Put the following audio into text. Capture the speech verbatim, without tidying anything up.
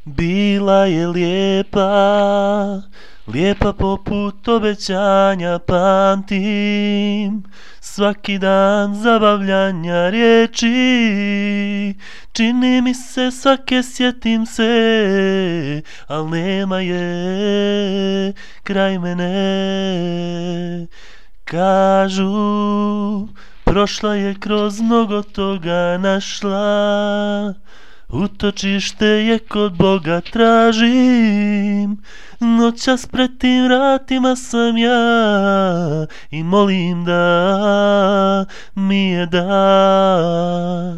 Bila je lijepa, lijepa poput obećanja, pamtim svaki dan zabavljanja riječi. Čini mi se svake sjetim se, al nema je kraj mene. Kažu, prošla je kroz mnogo toga, našla utočište je kod Boga, tražim. Noćas pred tim vratima sam ja i molim da mi je da.